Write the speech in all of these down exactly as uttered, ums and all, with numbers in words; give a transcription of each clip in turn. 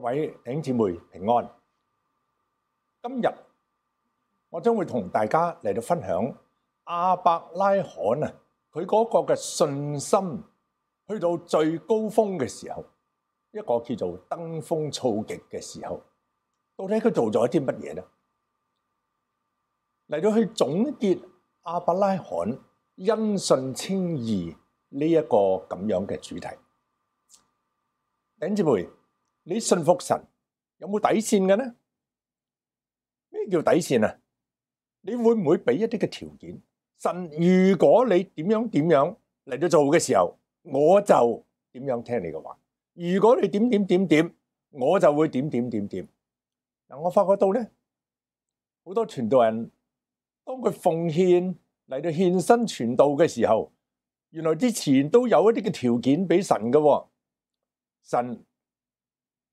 各位弟兄姊妹平安。今日我將會同大家嚟到分享亞伯拉罕啊，佢嗰個嘅信心去到最高峰嘅時候，一個叫做登峰造極嘅時候，到底佢做咗啲乜嘢呢？嚟到去總結亞伯拉罕因信稱義呢一個咁樣嘅主題。弟兄姊妹，你信服神有冇底線嘅呢？咩叫底線啊？你會唔會俾一啲嘅條件？神，如果你點樣點樣嚟到做嘅時候，我就點樣聽你嘅話。如果你點點點點，我就會點點點點。嗱，我發覺到咧，好多傳道人當佢奉獻嚟到獻身傳道嘅時候，原來之前都有一啲嘅條件俾神嘅。神，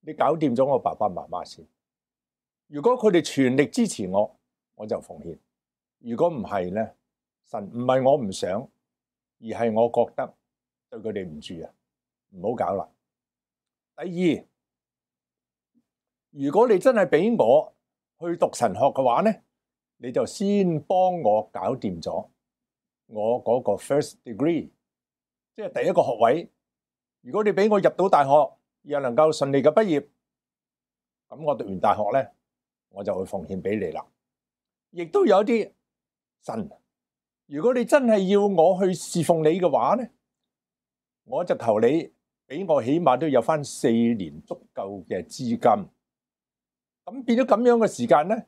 你搞掂咗我爸爸媽媽先。如果佢哋全力支持我，我就奉獻。如果唔係咧，神唔係我唔想，而係我覺得對佢哋唔住啊，唔好搞啦。第二，如果你真係俾我去讀神學嘅話咧，你就先幫我搞掂咗我嗰個 first degree， 即係第一個學位。如果你俾我入到大學，又能夠順利嘅畢業，咁我讀完大學咧，我就會奉獻俾你啦。亦都有啲神，如果你真係要我去侍奉你嘅話咧，我就求你俾我起碼都有翻四年足夠嘅資金。咁變咗咁樣嘅時間咧，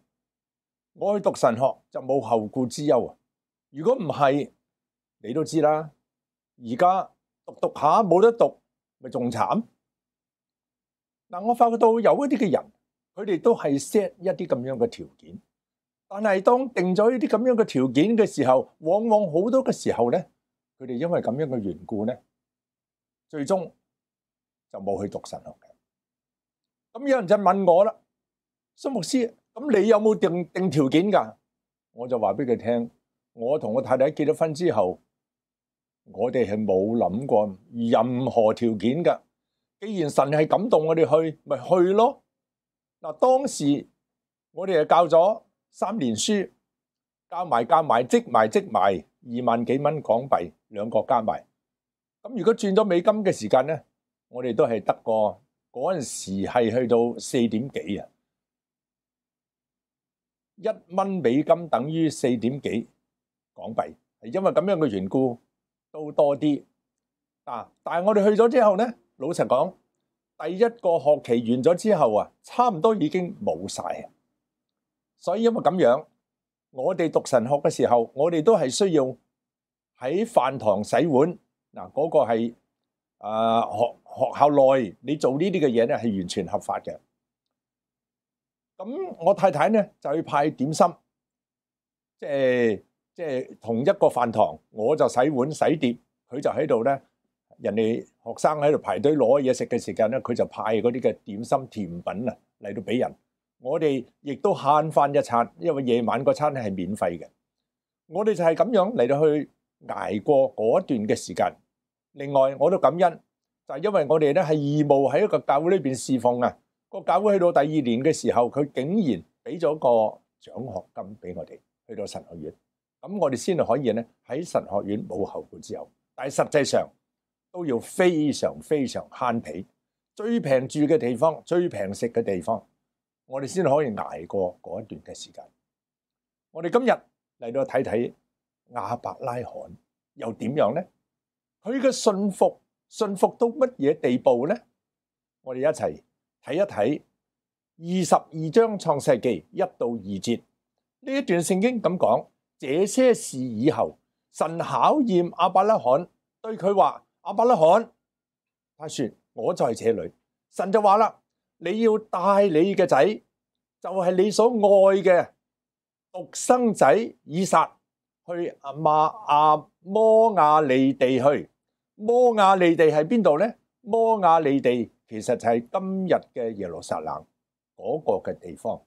我去讀神學就冇後顧之憂啊。如果唔係，你都知啦，而家讀讀下冇得讀，咪仲慘。嗱，我發覺到有一啲嘅人，佢哋都係 set 一啲咁樣嘅條件，但係當定咗呢啲咁樣嘅條件嘅時候，往往好多嘅時候咧，佢哋因為咁樣嘅緣故咧，最終就冇去讀神學嘅。咁有人就問我啦，蘇牧師，咁你有冇定定條件㗎？我就話俾佢聽，我同我太太結咗婚之後，我哋係冇諗過任何條件㗎。既然神係感動我哋去，咪去咯。嗱，當時我哋係教咗三年書，教埋教埋積埋積埋二萬幾蚊港幣，兩個加埋。咁如果轉咗美金嘅時間咧，我哋都係得個嗰陣時係去到四點幾啊，一蚊美金等於四點幾港幣，係因為咁樣嘅緣故都多啲。嗱，但係我哋去咗之後咧，老實講，第一個學期完咗之後啊，差唔多已經冇晒。所以因為咁樣，我哋讀神學嘅時候，我哋都係需要喺飯堂洗碗。嗱，嗰個係啊學學校內你做呢啲嘅嘢咧，係完全合法嘅。咁我太太咧就去派點心，即係即係同一個飯堂，我就洗碗洗碟，佢就喺度咧。人哋學生喺度排隊攞嘢食嘅時間咧，佢就派嗰啲嘅點心甜品啊嚟到俾人。我哋亦都慳翻一餐，因為夜晚嗰餐咧係免費嘅。我哋就係咁樣嚟到去捱過嗰段嘅時間。另外我都感恩，就係因為我哋咧係義務喺一個教會裏邊侍奉啊。個教會去到第二年嘅時候，佢竟然俾咗個獎學金俾我哋去到神學院。咁我哋先係可以咧喺神學院冇後顧之憂。但係實際上，都要非常非常慳皮，最平住嘅地方，最平食嘅地方，我哋先可以捱過嗰一段嘅時間。我哋今日嚟到睇睇亞伯拉罕又點樣呢？佢嘅信服信服到乜嘢地步呢？我哋一齊睇一睇二十二章創世記一到二節呢一段聖經咁講：這些事以後，神考驗亞伯拉罕，對佢話。亞伯拉罕，他說我在這裡。神就話啦，你要帶你嘅仔，就係你所愛嘅獨生仔以撒，去阿馬阿摩亞利地去。摩亞利地係邊度呢？摩亞利地其實就係今日嘅耶路撒冷嗰個嘅地方。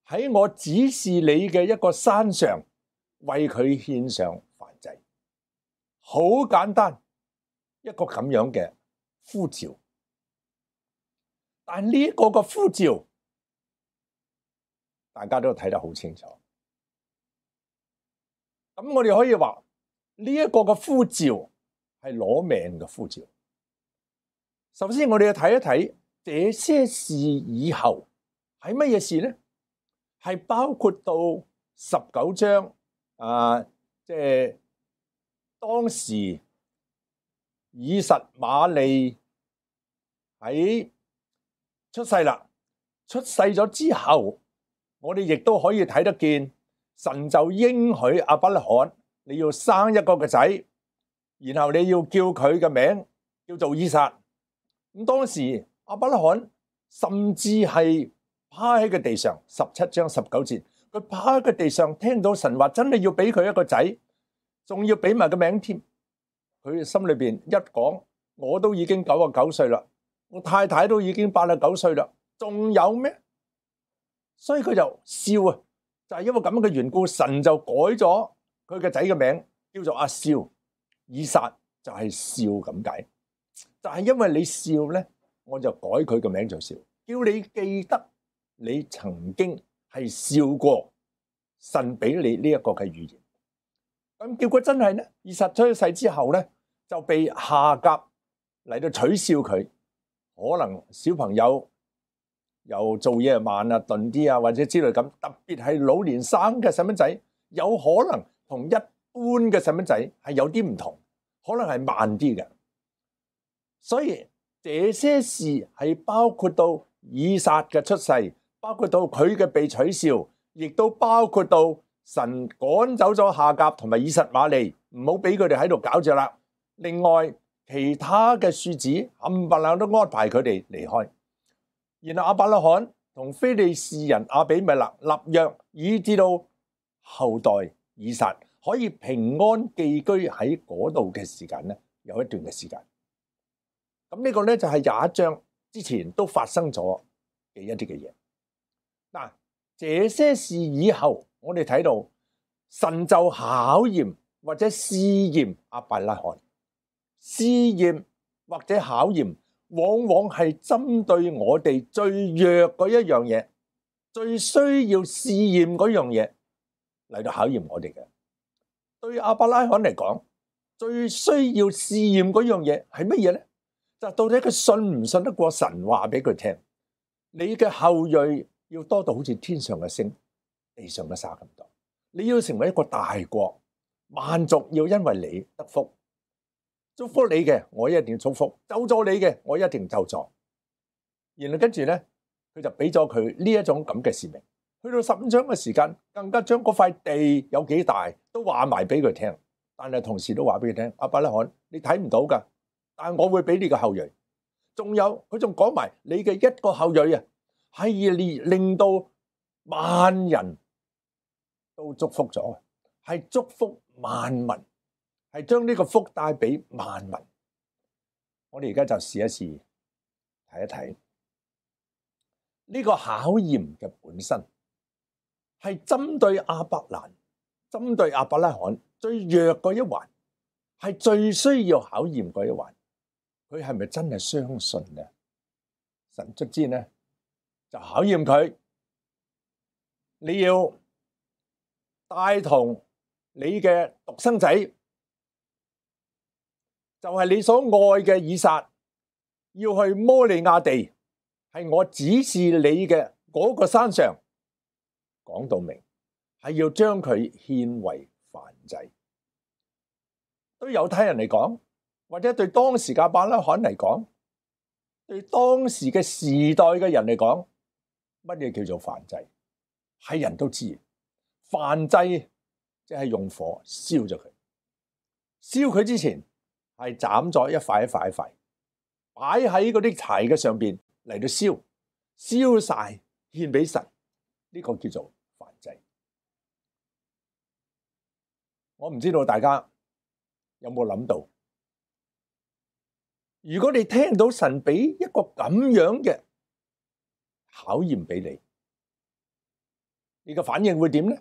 喺我指示你嘅一個山上，為佢獻上燔祭。好簡單，一個咁樣嘅呼召。但呢一個嘅呼召，大家都睇得好清楚。咁我哋可以話呢一個嘅呼召係攞命嘅呼召。首先我哋要睇一睇這些事以後係乜嘢事呢？係包括到十九章啊，即係當時以實瑪利喺出世啦，出世咗之後，我哋亦都可以睇得見，神就應許亞伯拉罕，你要生一個嘅仔，然後你要叫佢嘅名叫做以撒。咁當時亞伯拉罕甚至係趴喺個地上，十七章十九節，佢趴喺個地上，聽到神話真係要俾佢一個仔，仲要俾埋個名添。佢心裏邊一講，我都已經九十九歲啦，我太太都已經八十九歲啦，仲有咩？所以佢就笑啊，就係因為咁嘅緣故，神就改咗佢嘅仔嘅名叫做阿笑，以撒就係笑咁解。就係因為你笑咧，我就改佢個名做笑，叫你記得你曾經係笑過神俾你呢一個嘅預言。咁結果真係咧，以撒出世之後咧，就被夏甲嚟到取笑佢，可能小朋友又做嘢慢啊、鈍啲啊，或者之類咁。特別係老年生嘅細蚊仔，有可能同一般嘅細蚊仔係有啲唔同，可能係慢啲嘅。所以這些事係包括到以撒嘅出世，包括到佢嘅被取笑，亦都包括到神趕走咗夏甲同埋以實瑪利，唔好俾佢哋喺度搞着啦。另外其他嘅庶子冚唪唥都安排佢哋離開。然後亞伯拉罕同非利士人亞比米勒立約，以至到後代以撒可以平安寄居喺嗰度嘅時間咧，有一段嘅時間。咁呢個咧就係廿一章之前都發生咗嘅一啲嘅嘢。嗱，這些事以後，我哋睇到神就考驗或者試驗亞伯拉罕，試驗或者考驗，往往係針對我哋最弱嗰一樣嘢，最需要試驗嗰樣嘢嚟到考驗我哋嘅。對亞伯拉罕嚟講，最需要試驗嗰樣嘢係乜嘢咧？就到底佢信唔信得過神話俾佢聽？你嘅後裔要多到好似天上嘅星、地上嘅沙咁多。你要成為一個大國，萬族要因為你得福。祝福你嘅，我一定祝福；咒詛你嘅，我一定咒詛。然後跟住咧，佢就俾咗佢呢一種咁嘅使命。去到十五章嘅時間，更加將嗰塊地有幾大都話埋俾佢聽。但係同時都話俾佢聽，亞伯拉罕，你睇唔到噶。但我會俾你個後裔，仲有佢仲講埋你嘅一個後裔啊，係令令到萬人都祝福咗，係祝福萬民，係將呢個福帶俾萬民。我哋而家就試一試睇一睇呢個考驗嘅本身，係針對亞伯蘭，針對亞伯拉罕最弱嗰一環，係最需要考驗嗰一環。佢係咪真係相信呢？神卒之呢就考驗佢，你要帶同你嘅獨生仔，就係你所愛嘅以撒，要去摩利亞地，係我指示你嘅嗰個山上。講到明係要將佢獻為燔祭。對猶太人嚟講，或者對當時嘅亞伯拉罕嚟講，對當時嘅時代嘅人嚟講，乜嘢叫做燔祭？係人都知，燔祭即係用火燒咗佢。燒佢之前係斬咗一塊一塊一塊，擺喺嗰啲柴嘅上邊嚟到燒，燒晒獻俾神，呢個叫做燔祭。我唔知道大家有冇諗到？如果你聽到神俾一個咁樣嘅考驗俾你，你嘅反應會點呢？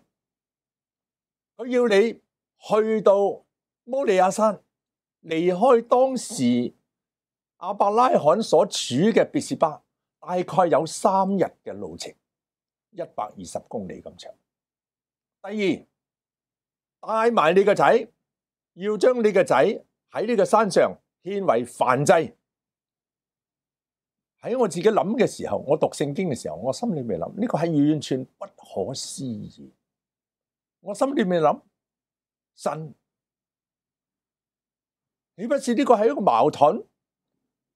佢要你去到摩利亞山，離開當時亞伯拉罕所處嘅別是巴，帶大概有三日嘅路程，一百二十公里咁長。第二，帶埋你個仔，要將你個仔喺呢個山上獻為燔祭。喺我自己諗嘅時候，我讀聖經嘅時候，我心裏面諗呢個係完全不可思議。我心裏面諗，神，豈不是呢個係一個矛盾？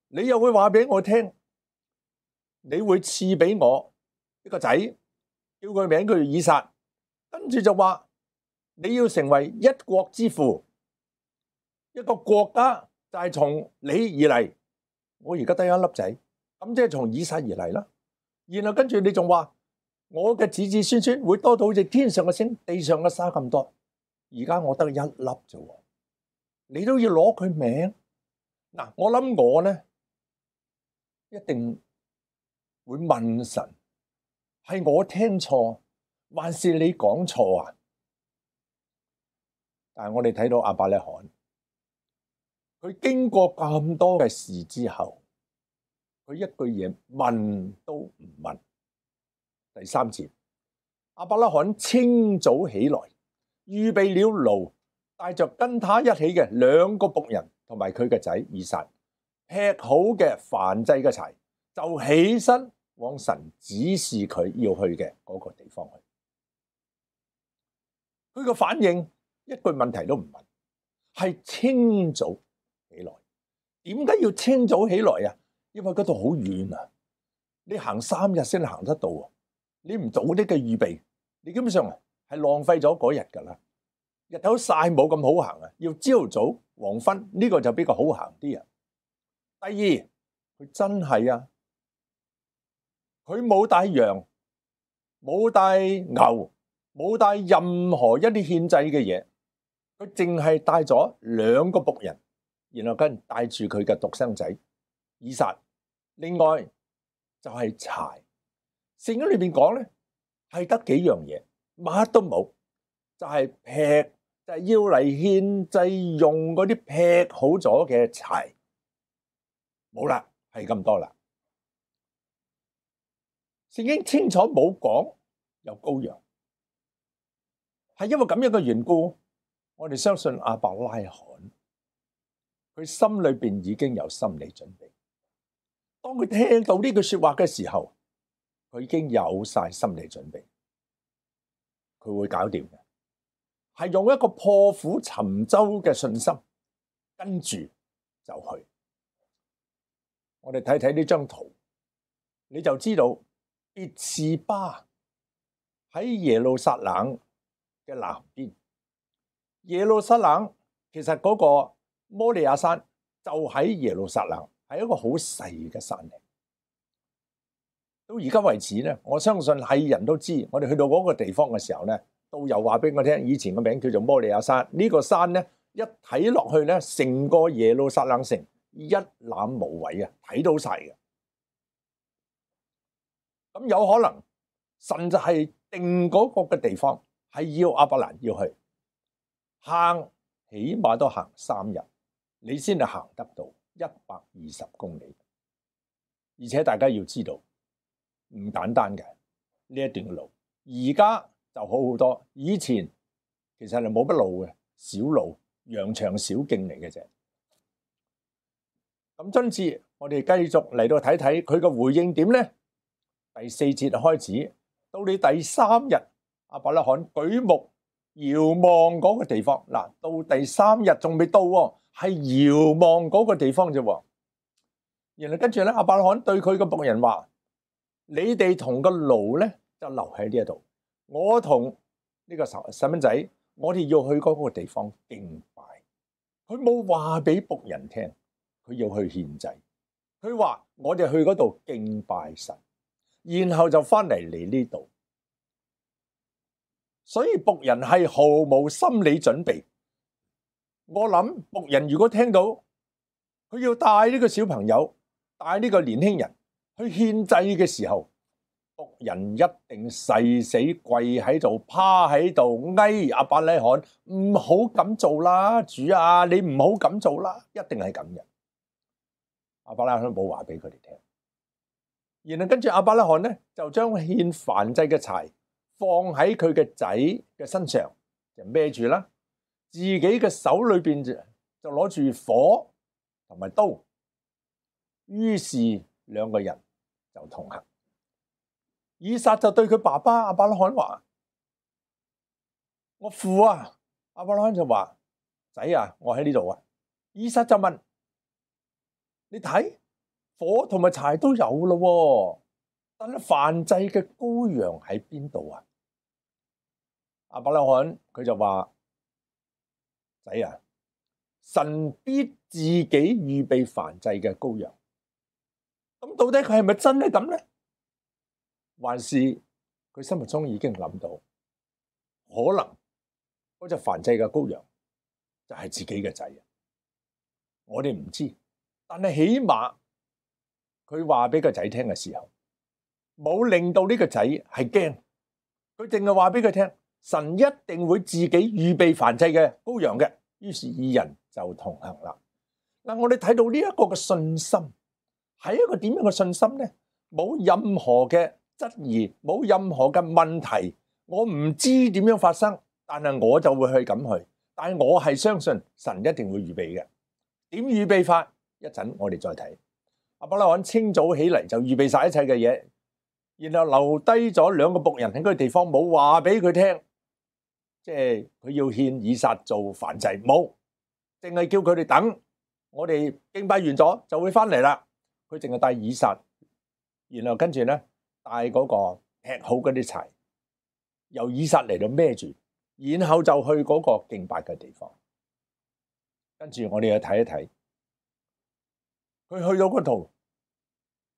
你又會話俾我聽，你會賜俾我一個仔，叫佢名叫做以撒，跟住就話你要成為一國之父，一個國家就係從你而嚟。我而家得一粒仔。咁即係從以撒而嚟啦，然後跟住你仲話我嘅子子孫孫會多到好似天上嘅星、地上嘅沙咁多。而家我得一粒啫，你都要攞佢名。嗱，我諗我咧一定會問神，係我聽錯，還是你講錯啊？但係我哋睇到亞伯拉罕，佢經過咁多嘅事之後，佢一句嘢問都唔問。第三節，亞伯拉罕清早起來，預備了驢，帶着跟他一起嘅兩個僕人同埋佢嘅仔以撒，劈好嘅燔祭嘅柴，就起身往神指示佢要去嘅嗰個地方去。佢個反應一句問題都唔問，係清早起來。點解要清早起來啊？因為嗰度好遠啊，你行三日先行得到啊！你唔早啲嘅預備，你基本上係浪費咗嗰日噶啦。日頭曬冇咁好行啊，要朝早黃昏呢個就比較好行啲啊。第二，佢真係啊，佢冇帶羊，冇帶牛，冇帶任何一啲獻祭嘅嘢，佢淨係帶咗兩個僕人，然後跟住帶住佢嘅獨生仔以撒。另外就係柴，聖經裏邊講咧係得幾樣嘢，乜都冇，就係劈，就係要嚟獻祭用嗰啲劈好咗嘅柴，冇啦，係咁多啦。聖經清楚冇講有羔羊，係因為咁樣嘅緣故，我哋相信亞伯拉罕佢心裏邊已經有心理準備。當佢聽到呢句說話嘅時候，佢已經有晒心理準備，佢會搞掂嘅，係用一個破釜沉舟嘅信心，跟住就去。我哋睇睇呢張圖，你就知道別是巴喺耶路撒冷嘅南邊。耶路撒冷其實嗰個摩利亞山就喺耶路撒冷。係一個好細嘅山嚟，到而家為止咧，我相信係人都知。我哋去到嗰個地方嘅時候咧，導遊話俾我聽，以前個名叫做摩利亞山。呢個山咧，一睇落去咧，成個耶路撒冷城一覽無遺啊，睇到晒嘅。咁有可能神就係定嗰個嘅地方，係要亞伯蘭要去行，起碼都行三日，你先係行得到一百二十公里，而且大家要知道唔簡單嘅呢一段路。而家就好好多，以前其實係冇乜路嘅，小路、羊腸小徑嚟嘅啫。咁今次我哋繼續嚟到睇睇佢嘅回應點呢？第四節開始到你第三日，亞伯拉罕舉目遙望嗰個地方。嗱，到第三日仲未到喎，係遙望嗰個地方啫。然後跟住咧，亞伯拉罕對佢個僕人話：你哋同個驢咧就留喺呢一度，我同呢個細蚊仔，我哋要去嗰個地方敬拜。佢冇話俾僕人聽，佢要去獻祭。佢話我哋去嗰度敬拜神，然後就翻嚟嚟呢度。所以僕人係毫無心理準備。我諗僕人如果聽到佢要帶呢個小朋友，帶呢個年輕人去獻祭嘅時候，僕人一定誓死跪喺度，趴喺度，哀亞伯拉罕唔好咁做啦，主啊，你唔好咁做啦，一定係咁嘅。亞伯拉罕冇話俾佢哋聽，然後跟住亞伯拉罕咧就將獻燔祭嘅柴放喺佢嘅仔嘅身上，就孭住啦。自己嘅手裏邊就就攞住火同埋刀。於是兩個人就同行。以撒就對佢爸爸亞伯拉罕話：我父啊！亞伯拉罕就話：仔啊，我喺呢度啊。以撒就問：你睇，火同埋柴都有咯，但係燔祭嘅羔羊喺邊度啊？亞伯拉罕佢就話：仔啊，神必自己預備燔祭嘅羔羊。咁到底佢係咪真係咁咧？還是佢心目中已經諗到，可能嗰隻燔祭嘅羔羊就係自己嘅仔啊？我哋唔知，但係起碼佢話俾個仔聽嘅時候，冇令到呢個仔係驚，佢淨係話俾佢聽，神一定會自己預備燔祭嘅羔羊嘅。於是二人就同行啦。嗱，我哋睇到呢一個嘅信心係一個點樣嘅信心呢？冇任何嘅質疑，冇任何嘅問題。我唔知點樣發生，但係我就會去咁去。但係我係相信神一定會預備嘅。點預備法？一陣我哋再睇。亞伯拉罕清早起嚟就預備晒一切嘅嘢，然後留低咗兩個僕人喺嗰個地方，冇話俾佢聽，即係佢要獻以撒做燔祭，冇，淨係叫佢哋等，我哋敬拜完咗就會翻嚟啦。佢淨係帶以撒，然後跟住咧帶嗰個劈好嗰啲柴，由以撒嚟到孭住，然後就去嗰個敬拜嘅地方。跟住我哋去睇一睇，佢去到嗰度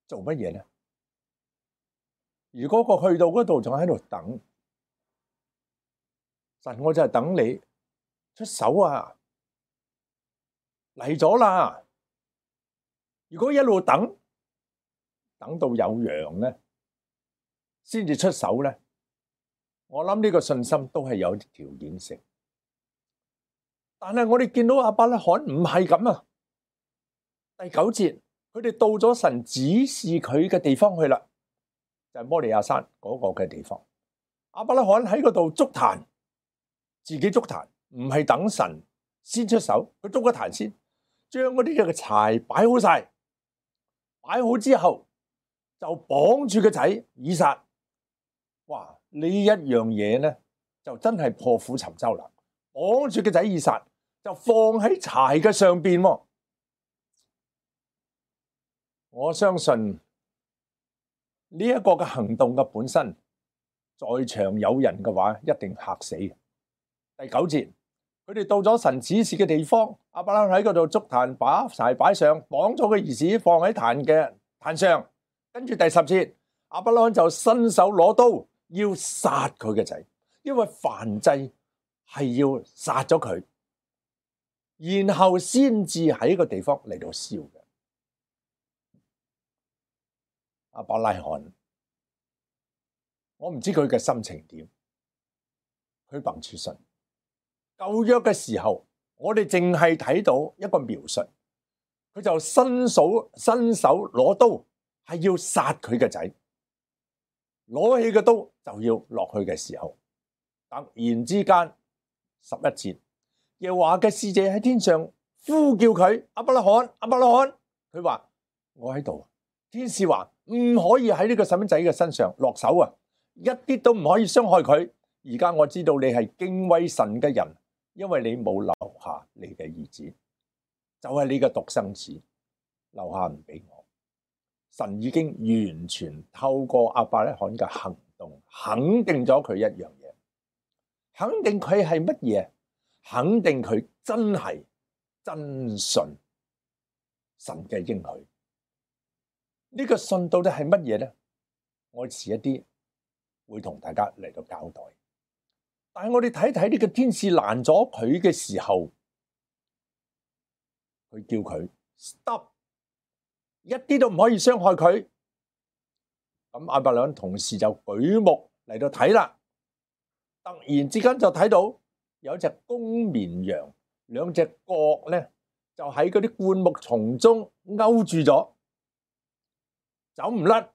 做乜嘢咧？如果佢去到嗰度仲喺度等，神，我就係等你出手啊！嚟咗啦！如果一路等，等到有羊咧，先至出手咧，我諗呢個信心都係有啲條件性。但係我哋見到亞伯拉罕唔係咁啊！第九節，佢哋到咗神指示佢嘅地方去啦，就係摩利亞山嗰個嘅地方。亞伯拉罕喺嗰度築壇，自己築壇，唔係等神先出手，佢築個壇先，將嗰啲嘅柴擺好晒，擺好之後就綁住個仔以撒。哇！呢一樣嘢咧，就真係破釜沉舟啦！綁住個仔以撒，就放喺柴嘅上邊。我相信呢一個嘅行動嘅本身，在場有人嘅話，一定嚇死。第九節，佢哋到咗神指示嘅地方，亞伯拉罕喺嗰度築壇，把柴擺上，綁咗個兒子放喺壇嘅壇上。跟住第十節，亞伯拉罕就伸手攞刀要殺佢嘅仔，因為燔祭係要殺咗佢，然後先至喺個地方嚟到燒嘅。亞伯拉罕，我唔知佢嘅心情點，佢憑住信。舊約嘅時候，我哋淨係睇到一個描述，佢就伸手伸手攞刀，係要殺佢嘅仔，攞起個刀就要落去嘅時候，突然之間十一節，耶和華嘅使者喺天上呼叫佢，亞伯拉罕，亞伯拉罕，佢話我喺度。天使話唔可以喺呢個細蚊仔嘅身上落手啊，一啲都唔可以傷害佢。而家我知道你係敬畏神嘅人，因為你冇留下你嘅兒子，就係你嘅獨生子，留下唔俾我。神已經完全透過亞伯拉罕嘅行動肯定咗佢一樣嘢，肯定佢係乜嘢？肯定佢真係真信神嘅應許。呢個信到底係乜嘢咧？我遲一啲會同大家嚟到交代。但係我哋睇睇呢個天使攔咗佢嘅時候，佢叫佢 stop， 一啲都唔可以傷害佢。咁亞伯拉罕同時就舉目嚟到睇啦，突然之間就睇到有一隻公綿羊，兩隻角咧就喺嗰啲灌木叢中勾住咗，走唔甩，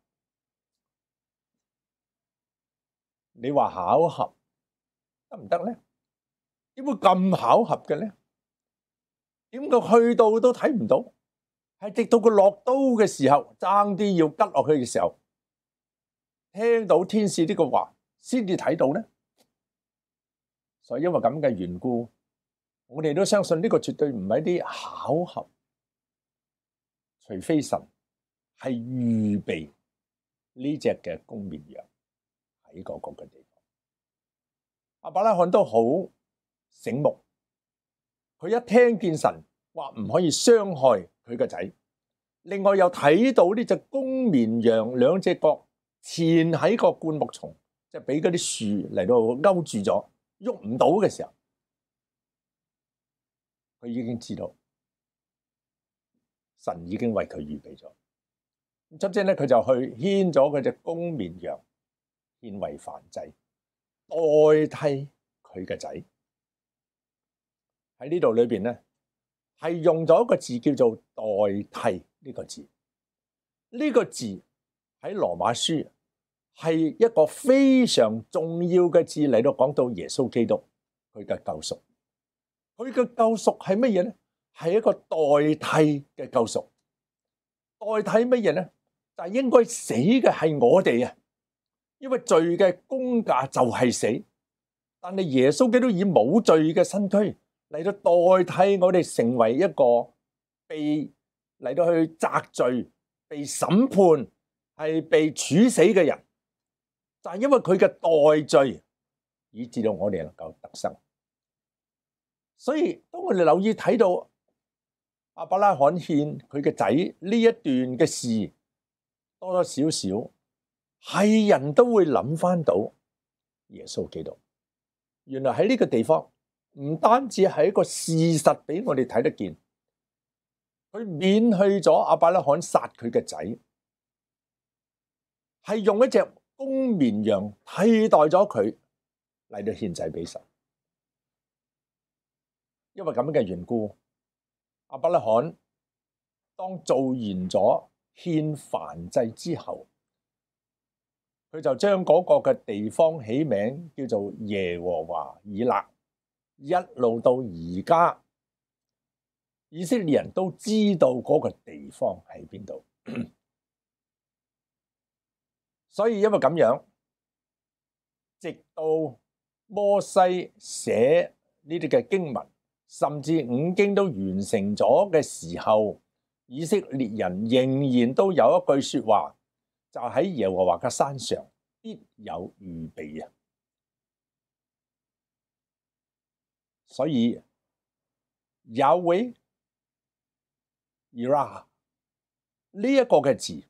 你話巧合得唔得咧？點會咁巧合嘅咧？點解去到都睇唔到？係直到佢落刀嘅時候，爭啲要拮落去嘅時候，聽到天使呢個話，先至睇到咧。所以因為咁嘅緣故，我哋都相信呢個絕對唔係一啲巧合，除非神係預備呢隻嘅公綿羊喺嗰個嘅地方。亞伯拉罕都好醒目，佢一聽見神話唔可以傷害佢個仔，另外又睇到呢隻公綿羊兩隻角纏喺個灌木叢，即係俾嗰啲樹嚟到勾住咗，喐唔到嘅時候，佢已經知道神已經為佢預備咗。咁即係咧，佢就去牽咗佢隻公綿羊獻為燔祭，代替佢嘅仔。喺呢度裏邊咧，係用咗一個字叫做代替呢個字。呢個字喺羅馬書係一個非常重要嘅字嚟到講到耶穌基督佢嘅救贖。佢嘅救贖係乜嘢咧？係一個代替嘅救贖。代替乜嘢咧？就係應該死嘅係我哋啊，因為罪嘅工價就係死。但係耶穌基督以冇罪嘅身軀嚟到代替我哋，成為一個被嚟到去責罪、被審判、係被處死嘅人，就係因為佢嘅代罪，以致到我哋能夠得生。所以當我哋留意睇到亞伯拉罕獻佢嘅仔呢一段嘅事，多多少少係人都會諗翻到耶穌基督。原來喺呢個地方唔單止係一個事實俾我哋睇得見，佢免去咗亞伯拉罕殺佢嘅仔，係用一隻公綿羊替代咗佢嚟到獻祭俾神。因為咁嘅緣故，亞伯拉罕當做完咗獻燔祭之後，佢就將嗰個嘅地方起名叫做耶和華以勒，一路到而家，以色列人都知道嗰個地方喺邊度。所以因為咁樣，直到摩西寫呢啲嘅經文，甚至五經都完成咗嘅時候，以色列人仍然都有一句說話，就喺耶和華嘅山上必有預備啊！所以Yahweh Yireh呢一個嘅字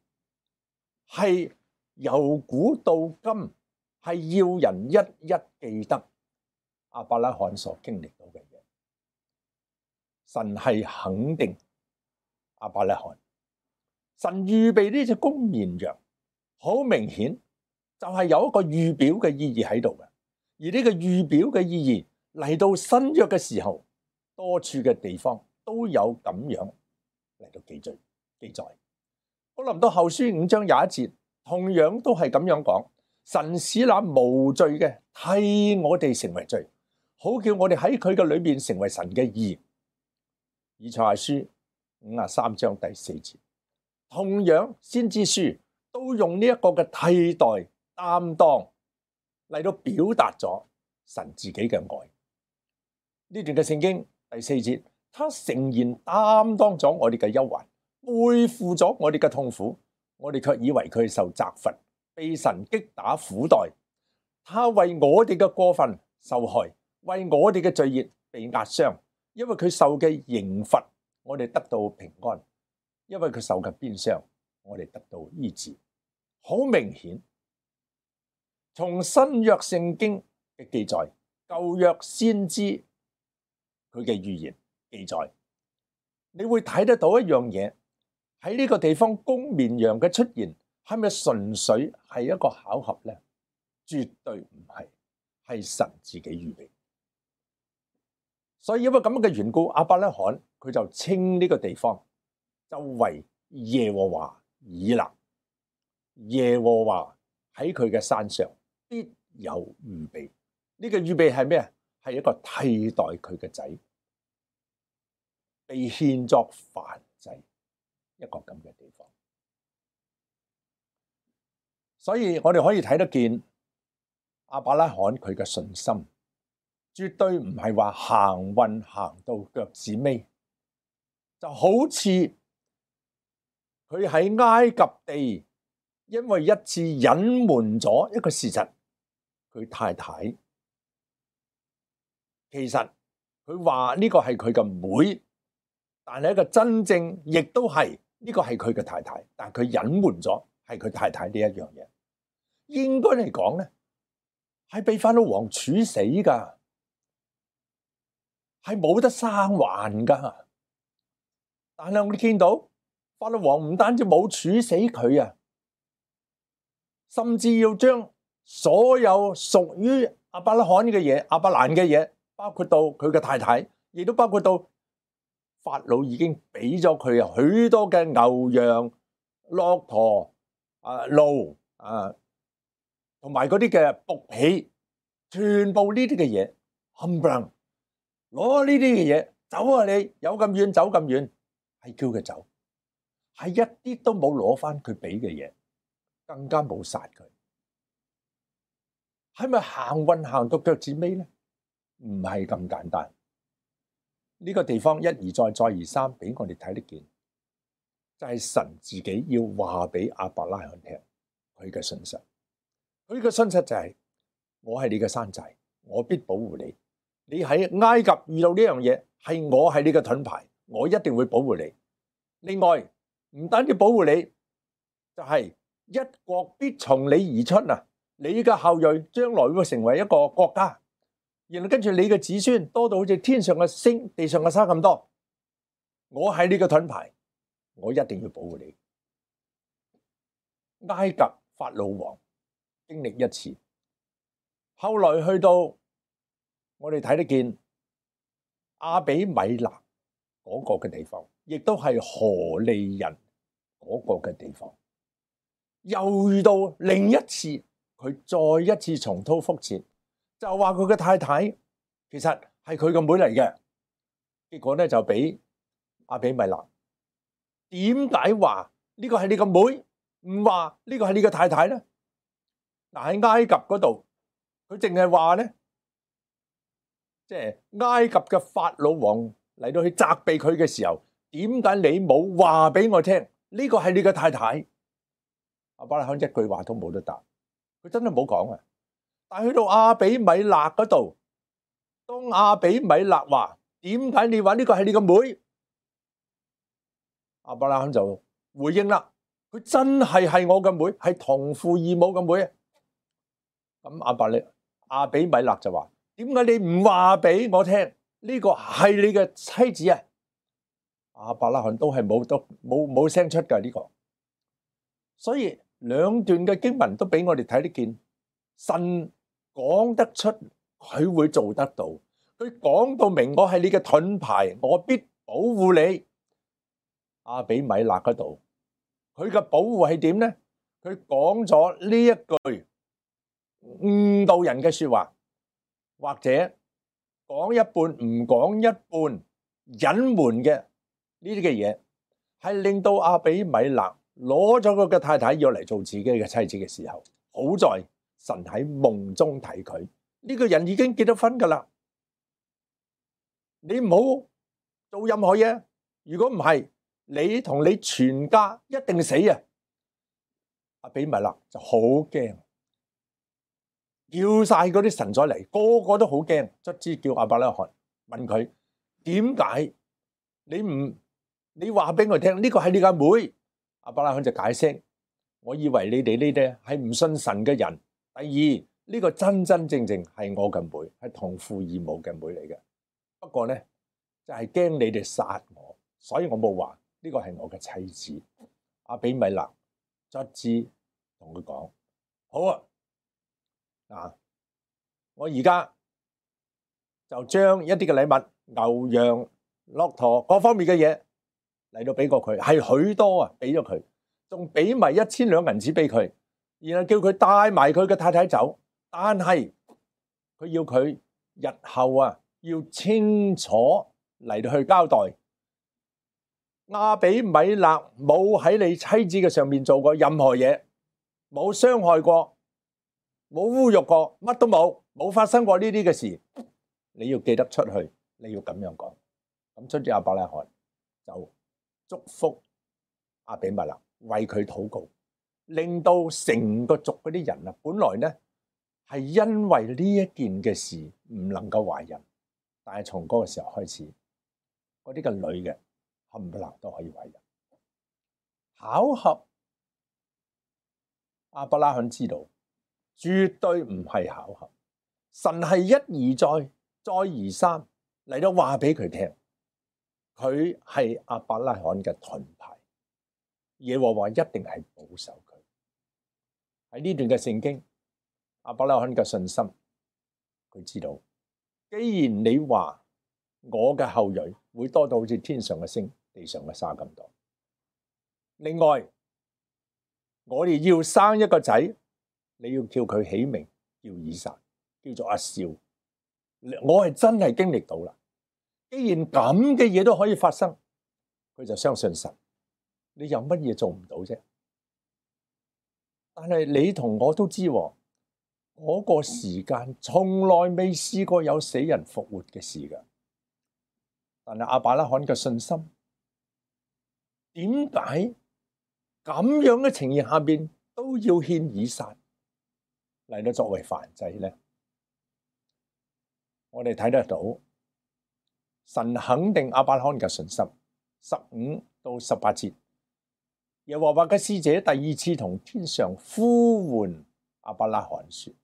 係由古到今係要人一一記得亞伯拉罕所經歷到嘅嘢。神係肯定亞伯拉罕，神預備呢隻公綿羊，好明顯就係有一個預表嘅意義喺度嘅。而呢個預表嘅意義嚟到新約嘅時候，多處嘅地方都有咁樣嚟到記載記載。哥林多後書五章廿一節，同樣都係咁樣講，神使那無罪嘅替我哋成為罪，好叫我哋喺佢嘅裏面成為神嘅義。以賽亞書五十三章第四節，同樣先知書都用呢一個嘅替代擔當嚟到表達咗神自己嘅愛。呢段嘅聖經第四節，他誠然擔當咗我哋嘅憂患，背負咗我哋嘅痛苦，我哋卻以為佢受責罰，被神擊打苦待。他為我哋嘅過分受害，為我哋嘅罪孽被壓傷。因為佢受嘅刑罰，我哋得到平安；因為佢受嘅鞭傷，我哋得到醫治。好明顯，從新約聖經嘅記載，舊約先知佢嘅預言記載，你會睇得到一樣嘢，喺呢個地方公綿羊嘅出現，係咪純粹係一個巧合呢？絕對唔係，係神自己預備。所以因為咁嘅緣故，亞伯拉罕佢就稱呢個地方就為耶和華以勒。耶和華喺佢嘅山上必有預備。呢個預備係咩啊？係一個替代佢嘅仔，被獻作燔祭，一個咁嘅地方。所以我哋可以睇得見亞伯拉罕佢嘅信心，絕對唔係話行運行到腳趾尾，就好似佢喺埃及地，因為一次隱瞞咗一個事實，佢太太其實佢話呢個係佢嘅妹，但係一個真正亦都係呢個係佢嘅太太，但係佢隱瞞咗係佢太太呢一樣嘢。應該嚟講咧，係被法老王處死噶，係冇得生還噶。但係我哋見到法老王唔單止冇處死佢啊，甚至要將所有屬於亞伯拉罕嘅嘢、亞伯蘭嘅嘢，包括到佢嘅太太，亦都包括到法老已經俾咗佢許多嘅牛羊、駱駝、啊驢啊，同埋嗰啲嘅僕婢，全部呢啲嘅嘢，冚唪唥攞呢啲嘅嘢走啊！你有咁遠走咁遠，係叫佢走，係一啲都冇攞翻佢俾嘅嘢，更加冇殺佢。係咪行運行到腳趾尾咧？唔係咁簡單。呢個地方一而再再而三俾我哋睇得見，就係神自己要話俾亞伯拉罕聽佢嘅信實。佢嘅信實就係：我係你嘅山寨，我必保護你。你喺埃及遇到呢樣嘢，係我係你嘅盾牌，我一定會保護你。另外，唔單止保護你，就係一國必從你而出啊！你嘅後裔將來會成為一個國家，然後跟住你嘅子孫多到好似天上嘅星、地上嘅沙咁多。我係你嘅盾牌，我一定要保護你。埃及法老王經歷一次，後來去到我哋睇得見亞比米勒嗰個嘅地方，亦都係何利人嗰個嘅地方，又遇到另一次，佢再一次重蹈覆轍，就話佢嘅太太其實係佢嘅妹嚟嘅，結果咧就俾亞比米勒。點解話呢個係你個妹，唔話呢個係你嘅太太咧？嗱，喺埃及嗰度，佢淨係話咧，即係埃及嘅法老王嚟到去責備佢嘅時候，點解你冇話俾我聽？呢個係你嘅太太？亞伯拉罕一句話都冇得答，佢真係冇講啊！但係去到亞比米勒嗰度，當亞比米勒話：點解你話呢個係你個妹？亞伯拉罕就回應啦，佢真係係我嘅妹，係同父異母嘅妹啊！咁亞伯利亞比米勒就話：點解你唔話俾我聽？呢個係你嘅妻子啊！亞伯拉罕都係冇都冇冇聲出㗎呢個。所以兩段嘅經文都俾我哋睇得見，神講得出，佢會做得到。佢講到明，我係你嘅盾牌，我必保護你。亞比米勒嗰度，佢嘅保護係點咧？佢講咗呢一句誤導人嘅說話，或者講一半唔講一半隱瞞嘅呢啲嘅嘢，係令到亞比米勒攞咗佢嘅太太要嚟做自己嘅妻子嘅時候，好在神喺夢中睇佢，呢個人已經結咗婚噶啦，你唔好做任何嘢，如果唔係，你同你全家一定死啊！亞比米勒就好驚，叫晒嗰啲神仔嚟，個個都好驚，卒之叫亞伯拉罕問佢：點解你唔你話俾我聽？呢個係你嘅妹？亞伯拉罕就解釋：我以為你哋呢啲係唔信神嘅人。第二，呢個真真正正係我嘅妹，係同父異母嘅妹嚟嘅。不過咧，就係驚你哋殺我，所以我冇話呢個係我嘅妻子。亞比米勒卒之同佢講：好啊，嗱，我而家就將一啲嘅禮物、牛羊、駱駝各方面嘅嘢嚟到俾過佢，係許多啊，俾咗佢，仲俾埋一千兩銀子俾佢，然後叫佢帶埋佢嘅太太走，但係佢要佢日後啊要清楚嚟到去交代，亞比米勒冇喺你妻子嘅上面做過任何嘢，冇傷害過，冇侮辱過，乜都冇，冇發生過呢啲嘅事。你要記得出去，你要咁樣講。咁出咗亞伯拉罕就祝福亞比米勒，為佢禱告，令到成個族嗰啲人啊，本來呢係因為呢一件嘅事唔能夠懷孕，但係從嗰個時候開始，嗰啲嘅女嘅冚唪唥都可以懷孕。巧合，亞伯拉罕知道絕對唔係巧合，神係一而再，再而三嚟到話俾佢聽，佢係亞伯拉罕嘅盾牌，耶和華一定係保守佢。喺呢段嘅聖經，亞伯拉罕嘅信心，佢知道，既然你話我嘅後裔會多到好似天上嘅星、地上嘅沙咁多，另外我哋要生一個仔，你要叫佢起名叫以撒，叫做阿少。我係真係經歷到啦。既然咁嘅嘢都可以發生，佢就相信神。你有乜嘢做唔到啫？但係你同我都知，嗰個時間從來未試過有死人復活嘅事㗎。但係亞伯拉罕嘅信心，點解咁樣嘅情形下邊都要獻以撒嚟到作為燔祭咧？我哋睇得到神肯定亞伯拉罕嘅信心。十五到十八節，耶和華嘅使者第二次同天上呼喚亞伯拉罕說：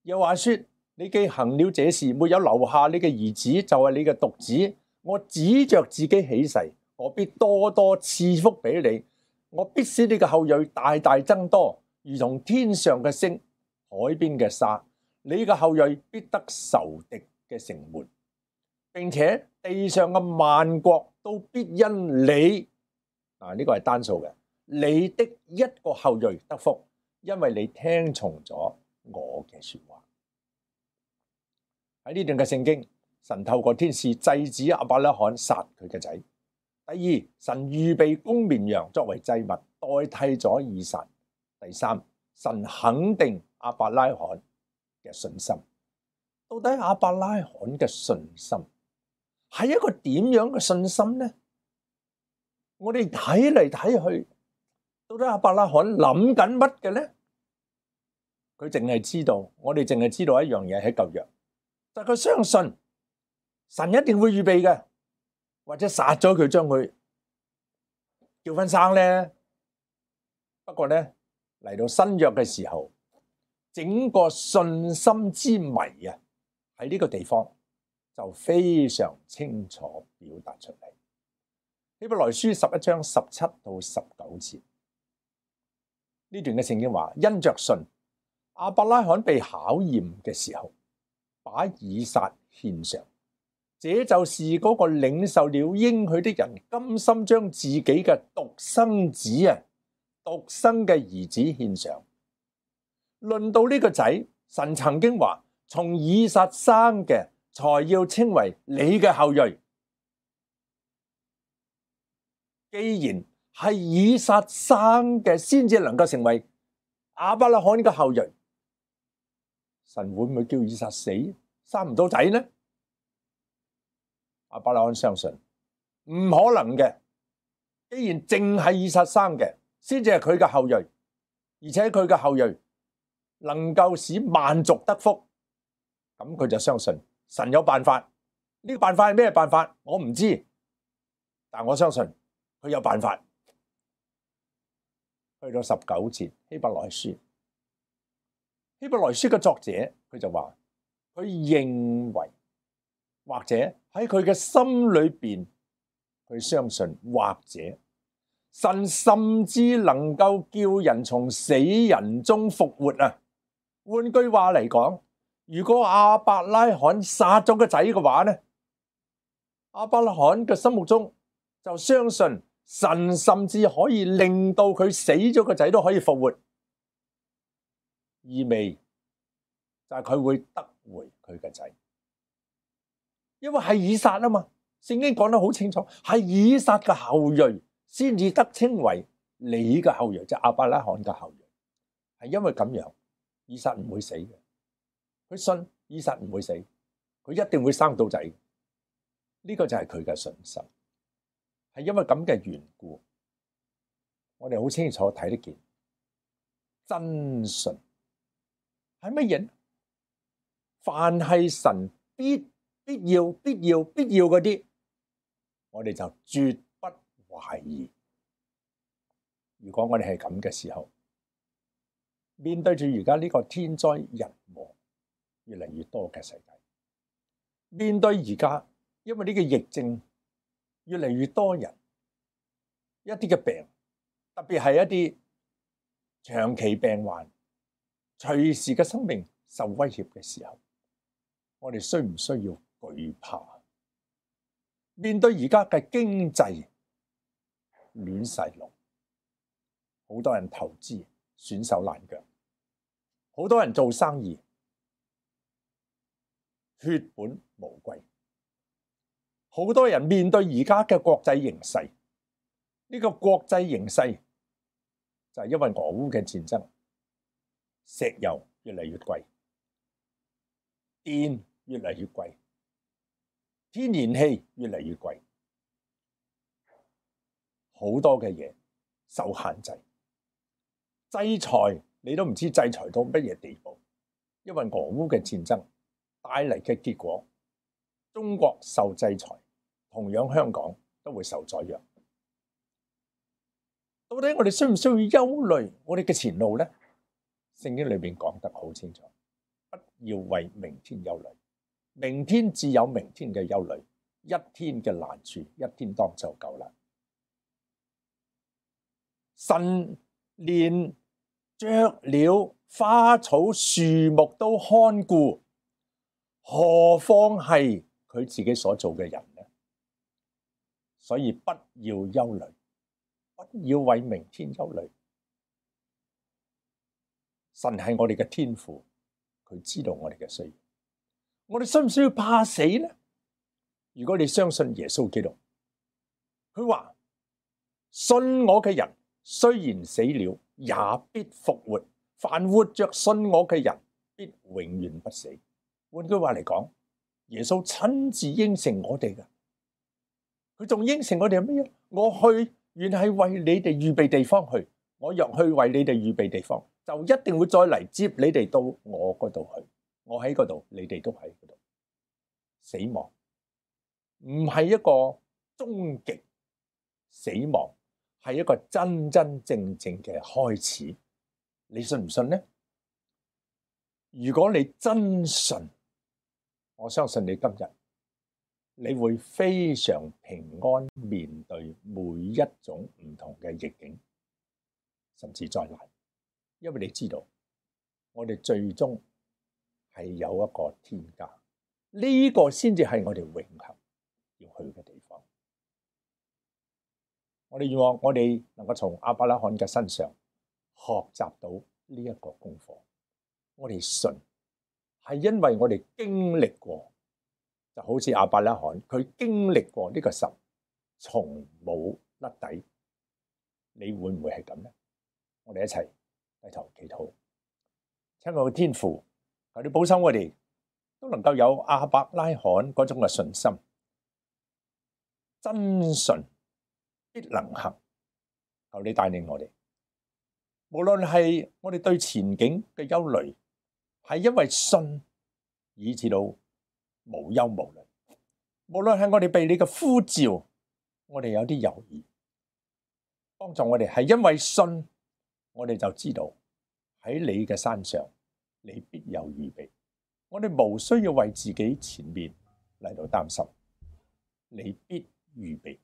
又話說，你既行了這事，沒有留下你嘅兒子，就係你嘅獨子，我指着自己起誓，我必多多賜福俾你，我必使你嘅後裔大大增多，如同天上嘅星、海邊嘅沙。你嘅後裔必得仇敵嘅城門，並且地上嘅萬國都必因你，啊呢個係單數嘅，你的一個後裔得福，因為你聽從咗我嘅說話。喺呢段嘅聖經，神透過天使制止亞伯拉罕殺佢嘅仔。第二，神預備公綿羊作為祭物，代替咗以撒。第三，神肯定亞伯拉罕嘅信心。到底亞伯拉罕嘅信心係一個點樣嘅信心呢？我哋睇嚟睇去，到底亞伯拉罕諗緊乜嘅呢？佢淨係知道，我哋淨係知道一樣嘢喺舊約，就係佢相信神一定會預備嘅，或者殺咗佢，將佢叫翻生咧。不過咧，嚟到新約嘅時候，整個信心之謎啊，喺呢個地方就非常清楚表達出嚟。希伯來書十一章十七到十九節，呢段嘅聖經話：因着信，亞伯拉罕被考驗嘅時候，把以撒獻上，這就是嗰個領受了應許的人，甘心將自己嘅獨生子啊，獨生嘅兒子獻上。論到呢個仔，神曾經話：從以撒生嘅，才要稱為你嘅後裔。既然係以撒生嘅，先至能夠成為亞伯拉罕嘅後裔，神會唔會叫以撒死，生唔到仔呢？亞伯拉罕相信唔可能嘅。既然淨係以撒生嘅，先至係佢嘅後裔，而且佢嘅後裔能夠使萬族得福，咁佢就相信神有辦法。呢個辦法係咩辦法？我唔知，但我相信佢有辦法。去到十九節，希伯來書，希伯來書嘅作者佢就話，佢認為或者喺佢嘅心裏邊，佢相信或者神甚至能夠叫人從死人中復活啊！換句話嚟講，如果亞伯拉罕殺咗個仔嘅話呢，亞伯拉罕嘅心目中就相信神甚至可以令到佢死咗個仔都可以復活，意味就係佢會得回佢嘅仔，因為係以撒啊嘛。聖經講得好清楚，係以撒嘅後裔先至得稱為你嘅後裔，即係亞伯拉罕嘅後裔。係因為咁樣，以撒唔會死嘅。佢信以撒唔會死，佢一定會生到仔。呢個就係佢嘅信心。係因為咁嘅緣故，我哋好清楚睇得見真信係乜嘢？凡係神必必要、必要、必要嗰啲，我哋就絕不懷疑。如果我哋係咁嘅時候，面對住而家呢個天災人禍越嚟越多嘅世界，面對而家因為呢個疫症越嚟越多人一啲嘅病，特別係一啲長期病患，隨時嘅生命受威脅嘅時候，我哋需唔需要懼怕？面對而家嘅經濟亂晒龍，好多人投資損手爛腳，好多人做生意血本無歸，好多人面對而家嘅國際形勢，呢個國際形勢就係因為俄烏嘅戰爭，石油越嚟越貴，電越嚟越貴，天然氣越嚟越貴，好多嘅嘢受限制，制裁你都唔知制裁到乜嘢地步，因為俄烏嘅戰爭帶嚟嘅結果，中國受制裁，同樣香港都會受宰羊。到底我哋需唔需要憂慮我哋嘅前路呢？聖經裏面講得好清楚，不要為明天憂慮，明天自有明天嘅憂慮，一天嘅難處一天當就夠啦。神連雀鳥、花草、樹木都看顧，何況係佢自己所做嘅人呢？所以不要憂慮，不要為明天憂慮。神係我哋嘅天父，佢知道我哋嘅需要。我哋需唔需要怕死呢？如果你相信耶穌基督，佢話信我嘅人雖然死了，也必復活。凡活着信我嘅人，必永遠不死。換句話嚟講，耶穌親自應承我哋嘅。佢仲應承我哋係乜嘢？我去原係為你哋預備地方去，我若去為你哋預備地方，就一定會再嚟接你哋到我嗰度去。我喺嗰度，你哋都喺嗰度。死亡唔係一個終極，死亡係一個真真正正嘅開始。你信唔信呢？如果你真信，我相信你今日你會非常平安面對每一種唔同嘅逆境，甚至災難，因為你知道我哋最終係有一個天家，呢個先至係我哋永恆要去嘅地方。我哋願望我哋能夠從亞伯拉罕嘅身上學習到呢一個功課。我哋信係因為我哋經歷過，就好似亞伯拉罕佢經歷過呢個神從冇甩底。你會唔會係咁呢？我哋一齊低頭祈禱。親愛嘅天父，求你保守我哋都能夠有亞伯拉罕嗰種嘅信心，真信必能行。求你帶領我哋，無論係我哋對前景嘅憂慮，係因為信以至到無憂無慮；無論係我哋被你嘅呼召，我哋有啲猶豫，幫助我哋係因為信，我哋就知道喺你嘅山上，你必有預備。我哋無需要為自己前面嚟到擔心，你必預備。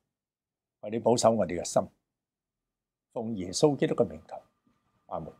為你保守我哋嘅心，奉耶穌基督嘅名求，阿門。